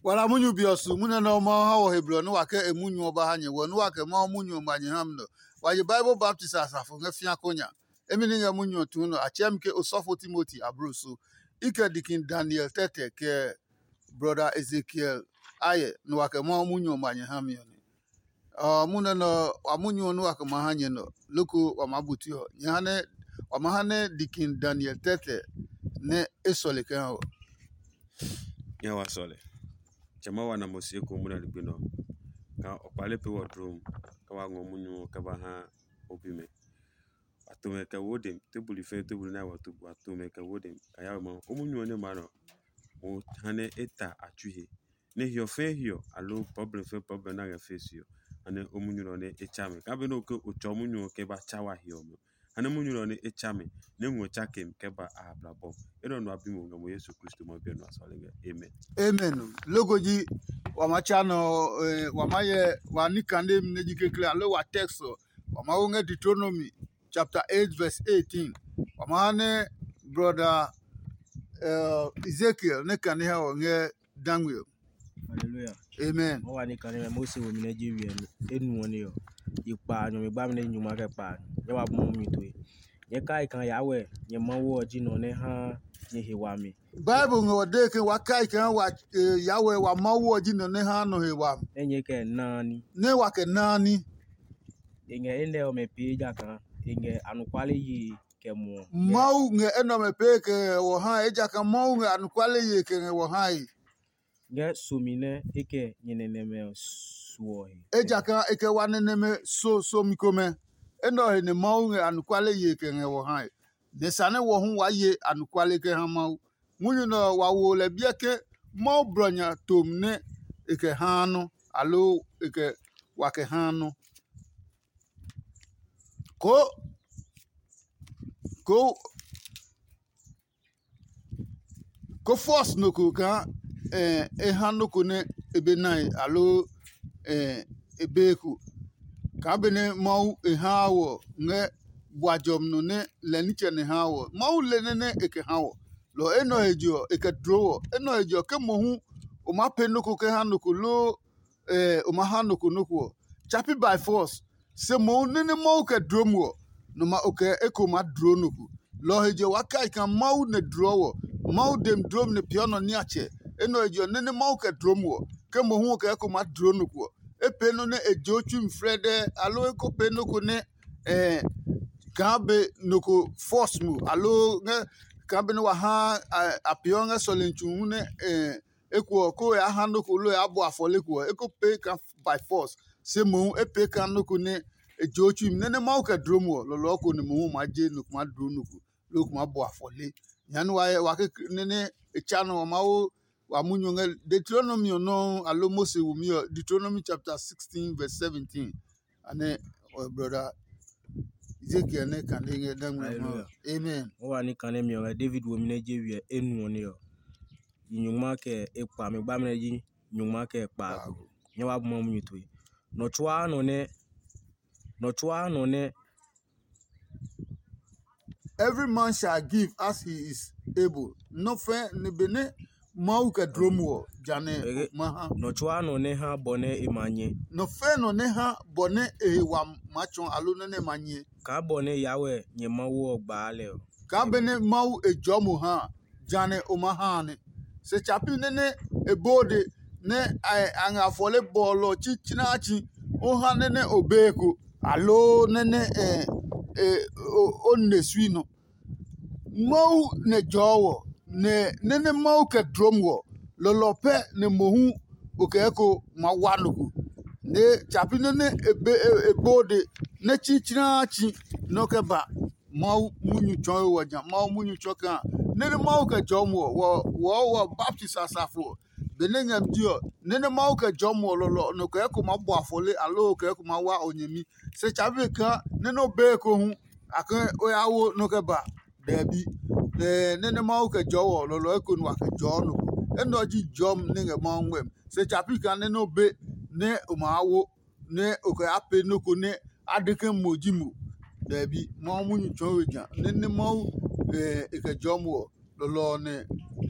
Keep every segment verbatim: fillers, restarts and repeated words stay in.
Kpala munyu bi ɔ su munyu nɛ Mawu ha wɔ he blɔ nɛ wa kɛ e munyu ɔ ba ha nyɛ, wɔ nɛ wa kɛ Mawu munyu ɔ ngma nyɛ ha mi nɔ. Wa je Bible baptist asafo ngɛ fĩa ko nya. Emi ni ngɛ munyu ɔ tuu nɔ, a tsɛɛ mi ke osɔfo Timoti ablo so. I kɛ dikin Daniel tɛtɛ kɛ brɔda Ezekiel ayɛ nɛ wa kɛ Mawu munyu ɔ ngma nyɛ ha mi ɔ nɛ. Ɔ, munyu nɛ nɔ wa munyu ɔ nɛ wa kɛ ma ha nyɛ nɔ, loko wa maa bu tue ɔ, nyɛ ha nɛ wa ma ha nɛ dikin Daniel tɛtɛ nɛ e sɔle kɛ ha wɔ. Nyɛ wa sɔle. Tsɛ ma wa na mo sie ko munyu ɔ ligbi nɔ. Ka o kpale pe wɔ dlom, kɛ wa ngɔ munyu ɔ kɛ ba ha o bimɛ. Wa to mɛ kɛ wo dem, tebuli fɛ tebuli nɛ wa to, wa to mɛ kɛ wo dem. Ka ya ma o munyu ɔ nɛ ma nɔ. O ha nɛ e ta a tsui he. Nɛ hiɔ fɛɛ hiɔ aloo problem fɛɛ problem nɛ a ngɛ face ɔ, ha nɛ o munyu nɛ ɔ nɛ e tsa mɛ. Kaa be nɛ o ke o tsɔ munyu ɔ kɛ ba tsa wa hiɔ mɛ, ha nɛ munyu nɛ ɔ nɛ e tsa mɛ, nɛ ngɔ tsa ke mi kɛ ba a blabɔ. Enɛ ɔ nɔ a bi mo ngɛ mo Yesu Kristo ma bi ɔ nɔ a sɔle ngɛ. Amen. Amen. Logo ji wa ma tsa nɔ, eh, wa ma yɛ wa ni kande mi nɛ ji kekle aloo wa text ɔ, wa ma wo ngɛ Deuteronomy chapter eight verse eighteen. Wa ma ha nɛ brother, eh, Ezekiel nɛ kane ha wɔ ngɛ dangwe ɔ. Hallelujah. Amen. Mo wa ni kane mɛ Mose wo mi nɛ je wiɛ enu ɔ ne ɔ. Yi kpa nyɔ mi gba mi nɛ nyuma kɛ kpa nyɛ wa bu mi toe. Nyɛ kai kan ya wɛ nyɛ Mawu ɔ ji nɔ nɛ ha nyɛ he wami. Bible ngɛ wɔ dee ke wa kai kaa wa, eh, Yahweh wa Mawu ɔ ji nɔ nɛ haa nɔ he wami. Nɛ nyɛ kɛ naani. Nɛ wa kɛ naani. E ngɛ enɛ ɔmɛ pee ejakaa e ngɛ anɔkuale yee kɛ muɔ. Mawu ngɛ enɛ ɔmɛ pee kɛ ngɛ wɔ hae, ejakaa Mawu ngɛ anɔkuale yee kɛ ngɛ wɔ hae. Ngɛ somi nɛ e kɛ nyɛ nɛnɛmɛ ɔ suɔ he. Ejakaa e kɛ wa nɛnɛmɛ so somi komɛ. Enɛ ɔ he nɛ Mawu ngɛ anɔkuale yee kɛ ngɛ wɔ hae. Nɛ sane wɔ hu waa ye anɔkuale kɛ ha Mawu. Munyu nɛ ɔ, wa wo lɛ biɛ ke Mawu blɔ nya tom nɛ e kɛ haa nɔ, aloo e kɛ wa kɛ haa nɔ. Ko ko ko force nɔ ko kaa, eh, e ha nɔ ko nɛ e be nae, aloo, eh, e be ko. Kaa benɛ Mawu e haa wɔ ngɛ bua jɔmi nɔ nɛ lɛ nitsɛ nɛ haa wɔ. Mawu le nɛ nɛ e kɛ ha wɔ. Lɔ enɛ ɔ he je ɔ, e kɛ dlo wɔ. Enɛ ɔ he je ɔ, ke mohu o maa pee nɔ ko kɛ ha nɔ ko loo, eh, o maa ha nɔ ko nɔ ko ɔ, tsa pi by force. Se mohu nɛ nɛ Mawu kɛ dloo mo ɔ, nɔ ma o kɛ eko maa dloo nɔ ko. Lɔ ɔ he je ɔ, waa kai kaa Mawu nɛ dlɔɔ wɔ. Mawu demi dloo mi nɛ peeɔ nɔ niatsɛ. Enɛ ɔ he je ɔ, nɛ nɛ Mawu kɛ dloo mo ɔ, ke mohu o kɛ eko maa dloo nɔ ko ɔ, e pee nɔ́ nɛ e je o tsui mi flɛdɛɛ, aloo e ko pee nɔ ko nɛ, eh, kaa be nɔ ko force mo, aloo ngɛ kaa benɛ wa ha a, a peeɔ ngɛ sɔlemi tsu hu nɛ, eh, eko ɔ, ko ya ha nɔ ko loo ya bɔ afɔle ko ɔ, e ko pee kaa by force. Se mohu e pee kaa nɔ ko nɛ e je o tsui mi. Nɛ nɛ Mawu kɛ dloo mo ɔ, lɔlɔɔ ko nɛ mohu ma je nɔ ko maa dloo nɔ ko, loo ko maa bɔ afɔle. Nya nɛ wa hyɛ wa ke nɛ nɛ e tsa nɔ ɔ, Mawu wa munyu ɔ ngɛ Deuteronomy ɔ nɔuu, aloo Mose wumi ɔ, Deuteronomy chapter sixteen verse seventeen. Anɛ ɔ brɔda Ezekiel nɛ kane ngɛ dangmɛ ɔ. Hallelujah. Amen. O wa ni kane mi ɔ ngɛ David womi nɛ je wiɛ enu ɔ ne ɔ. Yi nyungma kɛ e kpa mi gba mi nɛ ji nyungma kɛ kpa. Nyɛ wa bu ma munyu tue. Nɔ tsuaa nɔ nɛ nɔ tsuaa nɔ nɛ Every man shall give as he is able. Nɔ fɛ ni benɛ Mawu kɛ dlom wɔ, janɛ ma ha. Nɔ tsuaa nɔ nɛ ha bɔ nɛ e ma nyɛ. Nɔ fɛ nɔ nɛ ha bɔ nɛ e he wa ma tsɔ alo nɛ nɛ ma nyɛ. Kaa bɔ nɛ Yahweh nyɛ Mawu ɔ gbaa lɛ ɔ. Kaa benɛ Mawu e jɔɔ mo ha, janɛ o ma ha nɛ. Se tsapi nɛ nɛ e bode nɛ a ngɛ afɔle bɔɔlɔ tsitsinatsi o ha nɛ nɛ o be ko, aloo nɛ nɛ e o ne sui nɔ. Mawu nɛ jɔɔ wɔ, nɛ nɛ nɛ Mawu kɛ dlom wɔ, lɔlɔ pɛ nɛ mohu o kɛ eko ma wa nɔ ko. Nɛ tsapi nɛ nɛ e be e bode nɛ tsitsinatsi nɔ kɛ ba. Mawu munyu tsɔɔ wɔ ja, Mawu munyu tsɔɔ kaa nɛ nɛ Mawu kɛ jɔɔ mo ɔ, wɔ wɔ wɔ baptisi asafo ɔ. Benɛ ngɛ mi je ɔ, nɛ nɛ Mawu kɛ jɔɔ mo ɔ lɔlɔ nɔ kɛ eko maa bɔ afɔle aloo kɛ eko maa wa o nyɛmi. Se tsabi kaa nɛ nɛ o be eko hu, a ke o ya wo nɔ kɛ ba dɛbi. Nɛ nɛ Mawu kɛ jɔɔ wɔ ɔ lɔlɔ eko nu a kɛ jɔɔ nɔ ko. Enɛ ɔ ji jɔmi nɛ ngɛ Mawu ngmɛmi. Se tsabi kaa nɛ nɛ o be nɛ o maa wo nɛ o kɛ ya pee nɔ́ ko nɛ a de ke mo ji mo. Dɛbi, Mawu munyu tsɔɔ we ja nɛ nɛ Mawu e kɛ jɔɔ mo ɔ, lɔlɔ ɔ nɛ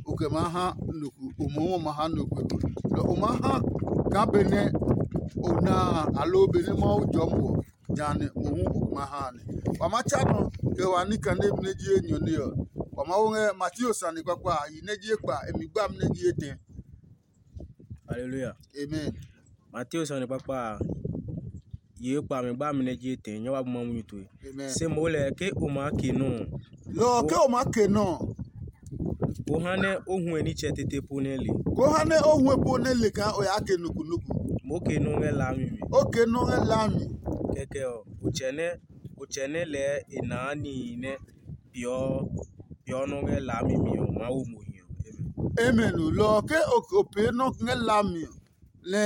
o kɛ maa ha nɔ ko. o mohu ɔ ma ha nɔ ko. Nɔ o ma ha kaa benɛ o na a, aloo benɛ Mawu jɔɔ mo ɔ, jehanɛ mohu o ma ha a nɛ. Wa ma tsa nɔ kɛ wa ní kane nɛ ji enyɔ nɛ ɔ. Wa Mawu ngɛ Mateo sane kpakpa a, yi nɛ ji ekpa, e mi gbami nɛ ji etɛ. Haleluya. Amen. Mateo sane kpakpa a, yi ekpa, mi gbami nɛ ji etɛ, nyɛ wa bu ma munyu tue. Amen. Se mo lɛ ke o maa ke nɔ ɔ, lɔ ɔ ke o maa ke nɔ ɔ, o ha nɛ o huɛ nitsɛ tete po nɛ le. Ko ha nɛ o huɛ po nɛ le kaa o yaa ke nɔ ko nɔ ko. Mo ke nɔ ngɛ laami mi. O ke nɔ ngɛ laami. Kɛkɛ ɔ, o tsɛ nɛ o tsɛ nɛ lɛɛ e naa nihi nɛ peeɔ peeɔ nɔ ngɛ laami mi ɔ, Mawu mo hiɔ. Amen. Amen o. Lɔ ɔ ke o pee nɔ ngɛ laami ɔ, nɛ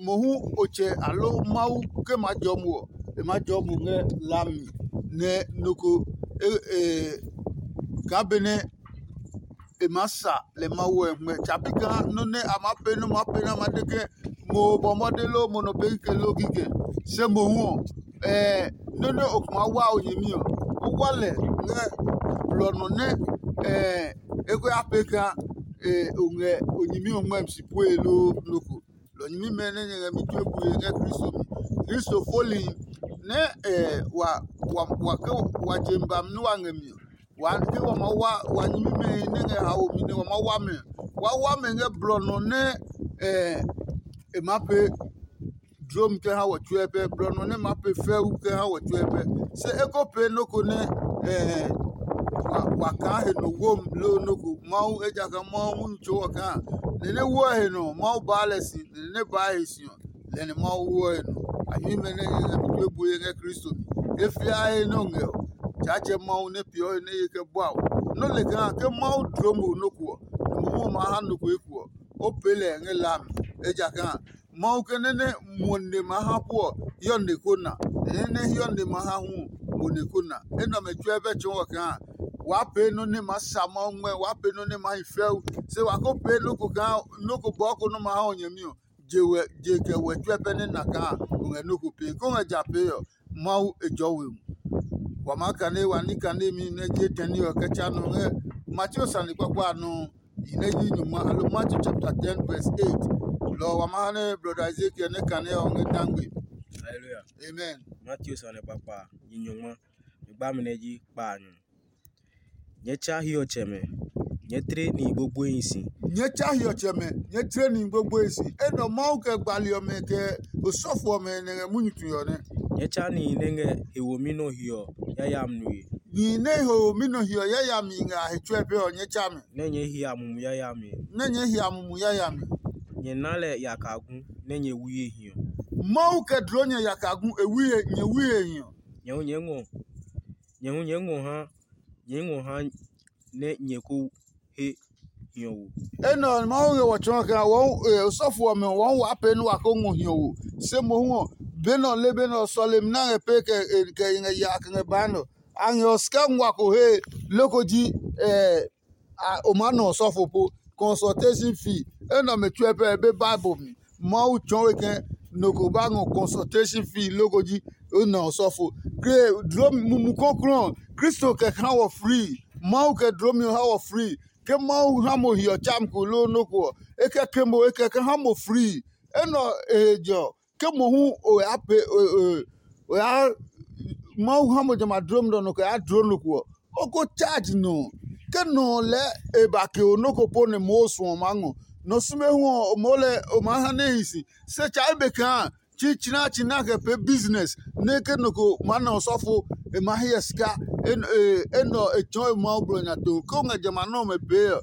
mohu o tsɛ aloo Mawu ke ma jɔ mo ɔ, e ma jɔ mo ngɛ laami nɛ nɔ ko kaa benɛ e maa sa lɛ Mawu ɔ ngmɛ. Tsa pi kaa nɔ́ nɛ a maa pee nɔ́ maa pee nɛ a ma de ke mo bɔ mɔde loo mo nɔ pee kikɛ loo kikɛ. Se mohu ɔ, nɔ́ nɛ o kuma wa o nyɛmi ɔ, o wa lɛ ngɛ blɔ nɔ nɛ e ko ya pee kaa o ngɛ o nyɛmi ɔ ngmɛmi si pue loo nɔ ko. Lɔ nyɛmimɛ nɛ nyɛ ngɛ mi tue bue ngɛ Kristo mi. Kristo foli nɛ wa wa wa ke wa je mi ba mi nɛ wa ngɛ mi ɔ, wa ke wa ma wa wa nyɛmimɛ nɛ ngɛ haomi nɛ wa ma wa mɛ. Wa wa mɛ ngɛ blɔ nɔ nɛ e ma pee dlom kɛ ha wɔ tsuɛ pɛ, blɔ nɔ nɛ ma pee fɛu kɛ ha wɔ tsuɛ pɛ. Se e ko pee nɔ́ ko nɛ wa kaa he nɔ wom loo nɔ́ ko. Mawu, ejakaa Mawu munyu tso wɔ kaa nɛ nɛ woɔ he nɔ Mawu baa lɛ si, nɛ nɛ baa he si ɔ, lɛ nɛ Mawu woɔ he nɔ. A himi mɛ nɛ nyɛ ngɛ mi tue bue ngɛ Kristo mi. E fia he nɛ o ngɛ ɔ, Tsaatsɛ Mawu nɛ peeɔ he nɛ ye kɛ bua o. Nɔ́ le kaa ke Mawu dloo mo nɔ́ ko ɔ, nɛ mohu ɔ maa ha nɔ ko eko ɔ, o pee lɛ ngɛ la mi. Ejakaa Mawu ke nɛ nɛ mo ne ma ha pu ɔ hiɔ nɛ ko na, nɛ nɛ hiɔ nɛ ma ha hu ɔ, mo nɛ ko na. Enɛ ɔmɛ tsuɛ bɛ tsɔɔ wɔ kaa waa pee nɔ́ nɛ maa sa Mawu ngmɛ, waa pee nɔ́ nɛ maa hi fɛu. Se wa ko pee nɔ́ ko kaa nɔ́ ko bɔɔ ko nɔ́ ma ha o nyɛmi ɔ, je wɛ je kɛ wɛ tsuɛ pɛ nɛ na kaa o ngɛ nɔ́ ko pee. Ko ngɛ ja pee ɔ, Mawu e jɔɔ we mu. Wa maa kane wa ní kanemi nɛ je tɛni ɔ kɛ tsa nɔ ngɛ Mateo sane kpakpa a nɔ. Yi nɛ yi nyuma alo Matthew chapter ten verse eight. Lɔ ɔ wa ma ha nɛ brɔda Ezekiel nɛ kane ɔ ngɛ dangbe. Hallelujah. Amen. Matthew sane kpakpa yi nyuma. Mi gba mi nɛ ji kpa a nyɔ. Nyɛ tsa hiɔtsɛmɛ, nyɛ tle nihi gbogboehi si. Nyɛ tsa hiɔtsɛmɛ, nyɛ tle nihi gbogboehi si. Enɛ ɔ Mawu kɛ gbali ɔmɛ kɛ osɔfo ɔmɛ nɛ ngɛ munyu tue ɔ nɛ. Nyɛ tsa nihi nɛ ngɛ he womi nɔ hiɔ yayami nue. Nihi nɛ he womi nɔ hiɔ yayami ngɛ a he tsuɛ pɛ ɔ, nyɛ tsa mi. Nɛ nyɛɛ hia mumi yayami. Nɛ nyɛɛ hia mumi yayami. Nyɛ na lɛ yakagu nɛ nyɛ wui he hiɔ. Mawu kɛ dloo nyɛ yakagu e wui he nyɛ wui he hiɔ. Nyɛ hu nyɛɛ ngɔ nyɛ hu nyɛɛ ngɔ ha nyɛɛ ngɔ ha nɛ nyɛ ko he hiɔwo. Enɛ ɔ Mawu ngɛ wɔ tsɔɔ kaa wɔɔ osɔfo ɔmɛ wɔɔ wa pee nɛ wa ko ngɔ hiɔwo. Se mohu ɔ, be nɛ ɔ le be nɛ ɔ sɔlemi nɛ a ngɛ pee kɛ kɛ ngɛ ya kɛ ngɛ baa nɛ ɔ, a ngɛ ɔ sika nguaa ko he loko ji o maa na osɔfo po. Consultation fee enɛ ɔmɛ tsuɛ pɛ be Bible mi. Mawu tsɔɔ we ke nɔ ko ba ngɔ consultation fee loko ji o na osɔfo. Ke dlo mumu kɔklɔ Kristo kɛ ha wɔ free. Mawu kɛ dlomi ɔ ha wɔ free. Ke Mawu ha mo hiɔ tsam ko loo nɔ́ ko ɔ, e kɛ ke mo e kɛ ke ha mo free. Enɛ ɔ e he jɔ ke mohu o ya pe o ya Mawu ha mo jamɛ a dlomi nɔ nɔ kɛ ya dlo nɔ ko ɔ, o ko charge nɔ ɔ. Ke nɔ ɔ lɛɛ e ba ke o nɔ́ ko po nɛ moo suɔ maa ngɔ. Nɔ sume hu ɔ, o moo lɛ o maa ha nɛ hi si. Se tsa ebe kaa tsitsinatsi nɛ a kɛ pee business nɛ ke nɔ ko maa na osɔfo e ma hyɛ sika. Enɛ ɔ e tsɔɔ e Mawu blɔ nya to. Ke o ngɛ jamɛ a nɔ́ ɔmɛ pee ɔ,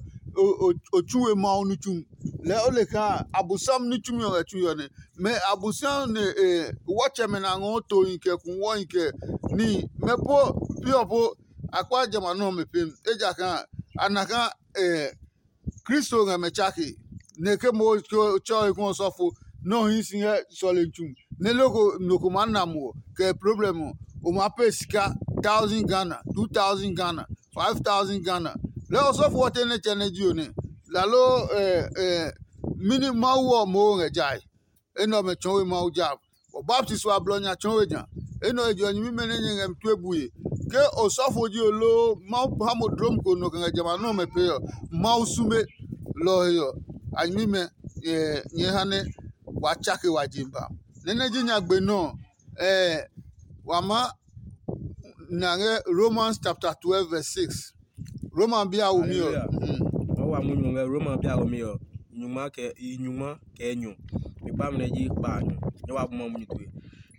o tsu we Mawu nitsumi. Lɛɛ o le kaa Abosiami nitsumi ɔ ngɛ tsu hiɔ nɛ. Mɛ Abosiami ne wɔtsɛmɛ nɛ a ngɔɔ tohi kɛ kuwɔhi kɛ nihi mɛ po pi ɔ po a kpa jamɛ a nɔ́ ɔmɛ pem. Ejakaa a na kaa Kristo ngɛ mɛ tsake, nɛ ke mo tsɔ he kún ɔsɔfo nɛ ɔ hii si ngɛ sɔlemi tsu, nɛ loko nɔ ko maa na mo ɔ, kɛ problem ɔ, o maa pee sika thousand Ghana, two thousand Ghana, five thousand Ghana. Lɛɛ ɔsɔfo ɔ te nɛ tsɛ nɛ ji o nɛ. Lalo mini Mawu ɔ moo ngɛ jae. Enɛ ɔmɛ tsɔɔ we Mawu ja. Wɔ baptisma blɔ nya tsɔɔ we nya. Enɛ ɔ he je ɔ nyɛmimɛ nɛ nyɛ ngɛ mi tue bue. Ke osɔfo ji o loo Mawu ha mo dlom ko nɔ kɛ ngɛ jamɛ a nɔ́ ɔmɛ pee ɔ, Mawu sume. Lɔ ɔ he ɔ, a nyɛmimɛ nyɛɛ ha nɛ waa tsake wa je ba. Nɛ nɛ ji nyagbe nɔ ɔ, wa maa na ngɛ Romans chapter twelve verse six. Roma bi a womi ɔ. Hallelujah. Wa wa munyu ngɛ Roma bi a womi ɔ. Nyuma kɛ i nyuma kɛ nyɔ. Mi kpa mɛ ji kpa nyɔ. Nyɛ wa buma munyu tue.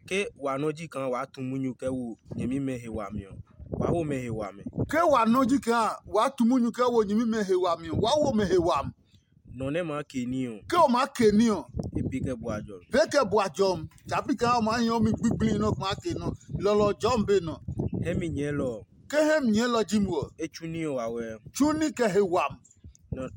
Ke wa nɔ ji kaa wa tu munyu kɛ wo nyɛmimɛ he wami ɔ, wa wo mɛ he wami. Ke wa nɔ ji kaa wa tu munyu kɛ wo nyɛmimɛ he wami ɔ, wa wo mɛ he wami. Nɔ nɛ maa ke ní ɔ, ke o maa ke ní ɔ, e pee kɛ bua jɔ. Pee kɛ bua jɔmi. Tsapi kaa o maa hiɔ mi gbigblii nɔ maa ke nɔ. Lɔlɔ jɔmi be nɔ. Hɛ mi nyɛɛlɔ ɔ, ke hɛ mi nyɛɛlɔ ji mo ɔ, e tsu ní ɔ wawɛ. Tsu ní kɛ he wami.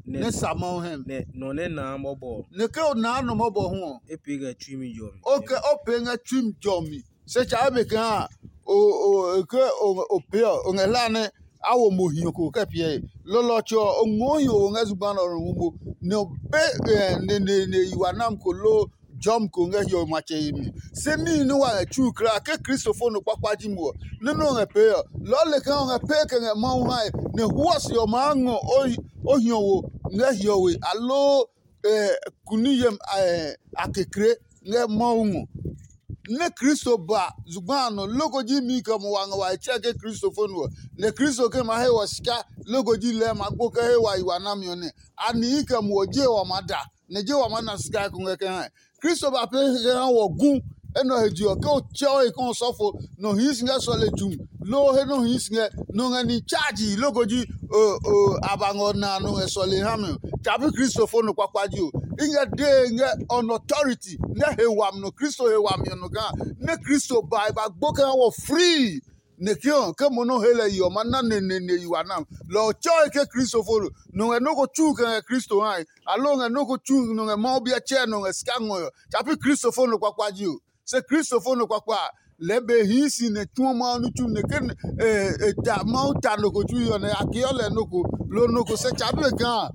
Nɛ sa Mawu hɛ mi. Nɛ nɔ nɛ naa mɔbɔ ɔ, nɛ ke o naa nɔ mɔbɔ hu ɔ, e pee kɛ tsui mi jɔmi. O kɛ o pee ngɛ tsui mi jɔmi. Se tsa ebe kaa o o ke o o pee ɔ, o ngɛ hla nɛ a wo mo hiɔ ko kɛ piɛ he. Lɔlɔ ɔ tsɛ ɔ, o ngɔɔ hiɔ wo ngɛ zugba nɛ ɔ hu mo, nɛ o be neneene yi wa nam ko loo jɔmi ko ngɛ hiɔwe matsɛ yemi. Se níhi nɛ wa ngɛ tsu kulaa ke Kristo fo nɔ kpakpa ji mo ɔ, nɔ́ nɛ o ngɛ pee ɔ, lɔɔ le kaa o ngɛ pee kɛ ngɛ Mawu hae, nɛ huɔ se ɔ maa ngɔ o hiɔwo ngɛ hiɔwe aloo kuni yem a kekle ngɛ Mawu ngɔ. Nɛ Kristo ba zugba a nɔ loko ji mi kɛ mo wa ngɛ wa he tsɛ ke Kristo fo nu ɔ, nɛ Kristo ke ma he wɔ sika loko ji lɛɛ ma gbo kɛ he wa yi wa nami ɔ nɛ a nihi kɛ mo ɔ je wa maa da, nɛ je wa maa na sika ko ngɛ kɛ ha. Kristo ba pee kɛ ha wɔ gu enɛ ɔ he je ɔ, ke o tsɛ o he ke ɔsɔfo nɔ hii si ngɛ sɔle jumi, loo he nɔ hii si ngɛ nɔ ngɛ ni chaji loko ji a ba ngɔ na nɔ ngɛ sɔle ha mi ɔ, tsapi Kristo fo nɔ kpakpa ji o. I ngɛ dee ngɛ on authority ngɛ he wami nɔ, Kristo he wami ɔ nɔ kaa nɛ Kristo ba e ba gbo kɛ ha wɔ free. Nɛ ke ɔ ke mo nɔ he lɛ yi ɔ ma na neneene yi wa nam. Lɔ ɔ tsɛɔe ke Kristo fo lo. Nɔ ngɛ nɔ́ ko tsu kɛ ngɛ Kristo hae, aloo ngɛ nɔ́ ko tsu nɔ ngɛ Mawu biɛ tsɛɛ nɔ ngɛ sika ngɔe ɔ, tsapi Kristo fo nɔ kpakpa ji o. Se Kristo fo nɔ kpakpa a, lɛɛ be hii si nɛ tsuɔ Mawu ní tsumi nɛ ke e ta Mawu ta nɔ ko tsui ɔ nɛ a keɔ lɛ nɔ ko, loo nɔ ko se tsa be kaa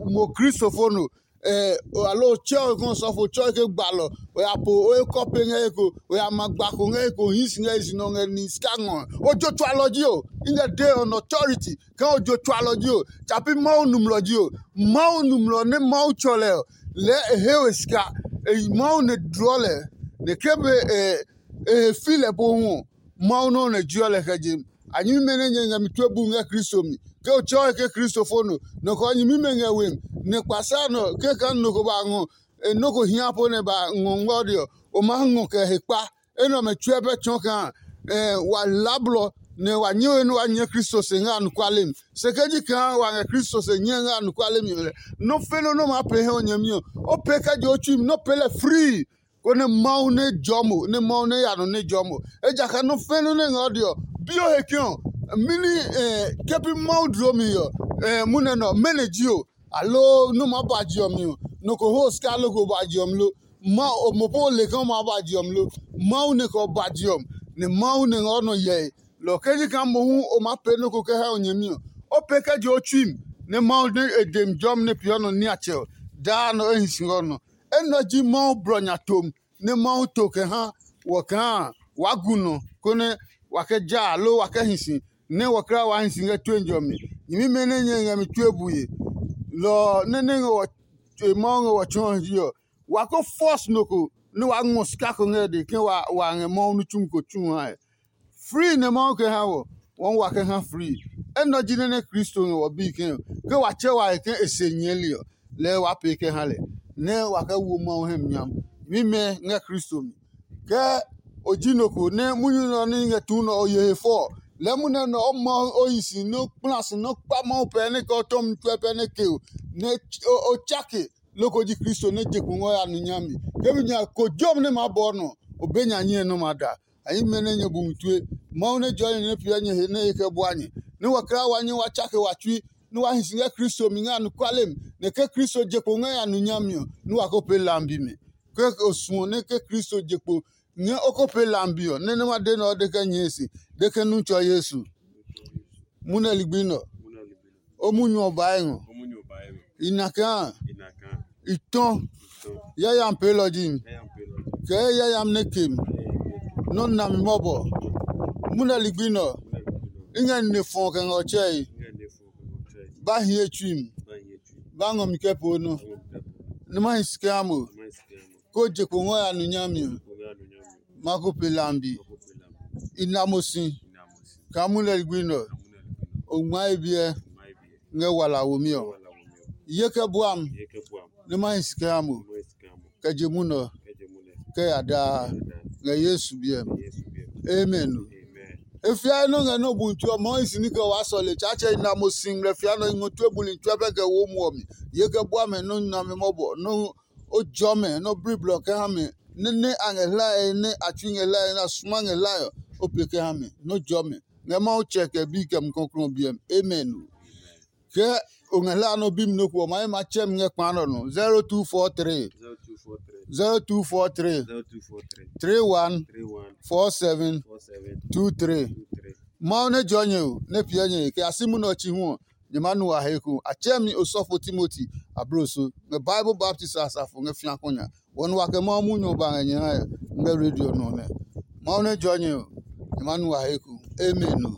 mo Kristo fo no. Aloo o tsɛ o kɛ sɔfo tsɛ o ke gbalɔ, o ya po o he kɔpe ngɛ he ko, o ya ma gba ko ngɛ he ko hii si ngɛ he si nɔ ngɛ ni sika ngɔ. O jo tsualɔ ji o. I ngɛ dee on authority kaa o jo tsualɔ ji o, tsapi Mawu numlɔ ji o. Mawu numlɔ nɛ Mawu tsɔ lɛ ɔ, lɛɛ e he we sika. E yi Mawu nɛ dlɔɔ lɛ, nɛ ke be e he fi lɛ pohu ɔ, Mawu nɔuu nɛ jeɔ lɛ kɛ je. A nyɛmimɛ nɛ nyɛ ngɛ mi tue bu ngɛ Kristo mi. Ke o tsɛɔe ke Kristo fo no, nɔ kɛ ɔ nyɛmimɛ ngɛ we mi, nɛ kpasa nɔ ke kaa nɔ ko ba ngɔ nɔ ko hia po nɛ ba ngɔ ngmɔde ɔ, o maa ngɔ kɛ he kpa. Enɛ ɔmɛ tsuɛ pɛ tsɔɔ kaa wa la blɔ nɛ wa nyɛ we nɛ wa nyɛ Kristo se ngɛ anɔkuale mi. Se ke ji kaa wa ngɛ Kristo se nyɛ ngɛ anɔkuale mi lɛ, nɔ́ fe nɔ́ nɛ o maa pee hɛ o nyɛmi ɔ, o pee kɛ je o tsui mi nɛ o pee lɛ frii. Konɛ Mawu nɛ jɔɔ mo, nɛ Mawu nɛ ya nɔ nɛ jɔɔ mo. Ejakaa nɔ́ fɛ̃ nɔ́ nɛ ngɛ ɔ de ɔ, bi o he ke ɔ, mɛni ke pi Mawu dloo mi ɔ, munɛ nɛ ɔ, mɛnɔ ji o? Aloo nɔ́ maa ba je ɔ mi ɔ, nɔ ko ho o sika loko ba je ɔ mi lo? Ma o mo po o le ke o maa ba je ɔ mi lo? Mawu nɛ kɛ o ba je ɔ mi, nɛ Mawu nɛ ngɛ o nɔ hyɛe. Lɔ ɔ ke ji kaa mohu o maa pee nɔ́ ko kɛ ha o nyɛmi ɔ, o pee kɛ je o tsui mi, nɛ Mawu nɛ e de mi jɔmi nɛ peeɔ nɔ niatsɛ ɔ, daa nɔ e hi si ngɛ o nɔ. Enɛ ɔ ji Mawu blɔ nya tom nɛ Mawu to kɛ ha wɔ kaa waa gu nɔ, konɛ wa kɛ ja aloo wa kɛ hi si, nɛ wɔkla waa hi si ngɛ tue jɔmi. Nyɛmimɛ nɛ nyɛ ngɛ mi tue bue, lɔ ɔ nɛ nɛ ngɛ wɔ tue Mawu ngɛ wɔ tsɔɔ ji ɔ, wa ko fɔs nɔ ko nɛ waa ngɔ sika ko ngɛ e dɛ ke wa ngɛ Mawu nitsumi ko tsu hae. Frii nɛ Mawu kɛ ha wɔ, wɔɔ wa kɛ ha frii. Enɛ ɔ ji nɛ nɛ Kristo ngɛ wɔ bii ke, ke wa tsɛ wa he ke e se nyɛɛli ɔ, lɛɛ waa pee kɛ ha lɛ, nɛ wa kɛ wo Mawu hɛ mi nyam. Mimɛ ngɛ Kristo mi. Ke o ji nɔ ko nɛ munyu nɛ ɔ nɛ i ngɛ tuu nɛ ɔ ye he fɔ ɔ, lɛɛ munɛ nɛ o Mawu o yi si nɛ o kpla si nɛ o kpa Mawu pɛ nɛ kɛ o tɔmi tsuɛ pɛ nɛ ke o, nɛ o tsake loko ji Kristo nɛ je kpo ngɔ ya nu nyami. Ke mi nya ko jɔmi nɛ maa bɔɔ nɔ, o be nya nyɛe nɔ́ maa da. A yi mɛ nɛ nyɛ bu mi tue. Mawu nɛ jɔɔ nyɛ nɛ piɛ nyɛ he nɛ e kɛ bua nyɛ, nɛ wa kla wa nyɛ wa tsake wa tsui, nɛ wa hi si ngɛ Kristo mi ngɛ anɔkuale mi, nɛ ke Kristo je kpo ngɛ ya nu nyami ɔ, nɛ wa ko pee lambi mi. Ke o suɔ nɛ ke Kristo je kpo ngɛ o ko pee lambi ɔ, nɛ nɛ ma de nɛ ɔ de kɛ nyɛɛ si, de ke nu tsɔ Yesu. Munɛ ligbi nɛ ɔ, o munyu ɔ bae ngɔ. I na kaa i tɔ yayam peelɔ ji mi, kɛ yayam nɛ ke mi, nɔ́ na mi mɔbɔ. Munɛ ligbi nɛ ɔ, i ngɛ nine fɔ kɛ ngɛ ɔ tsɛe. Ba hiɛ tsui mi. ba ngɔ mi kɛ poo nɔ. Ni ma hi si kɛ ha mo. Ko je kpo ngɔ ya nu nyami ɔ. Ma ko pe lambi. I na mo si. Kaa mu lɛ ligbi nɛ ɔ, o ngma e biɛ ngɛ wala womi ɔ. Ye kɛ bua mi, nɛ ma hi si kɛ ha mo, kɛ je munɛ ɔ, kɛ ya daa, ngɛ Yesu biɛ mi. Amen. E fiae nɔ́ ngɛ nɔ́ bu tsuɔ mɔɔ hi si ní kɛ waa sɔle Tsaatsɛ i na mo si ngmlɛ fia nɔ i ngɔ tue buli tsuɛ pɛ kɛ wo muɔ mi. Ye kɛ bua mɛ nɔ́ nami mɔbɔ nɔ́ o jɔ mɛ nɔ́ bli blɔ kɛ ha mɛ nɛ nɛ a ngɛ hlae nɛ a tsui ngɛ hlae nɛ a suma ngɛ hlae ɔ, o pe kɛ ha mɛ nɔ́ jɔ mɛ. Ngɛ Mawu tsɛ kɛ bi kɛ mukɔklɔ biɛ mi. Amen. Ke o ngɛ hlaa nɔ bi mi nɔ ko ɔ, ma ye ma tsɛ mi ngɛ kpa nɔ nɔ. zero two four three, zero two four three, three one four seven two three. Mawu nɛ jɔ nyɛ o, nɛ piɛ nyɛ kɛ a si munɛ ɔ chi hu ɔ, nyɛ ma nu a he ko. A tsɛ mi osɔfo Timoti abloso ngɛ Bible baptist asafo ngɛ fiako nya. Wɔ nu wa kɛ Mawu munyu ɔ ba ngɛ nyɛ ha ngɛ radio nɔ nɛ. Mawu nɛ jɔ nyɛ o, nyɛ ma nu a he ko. Amen.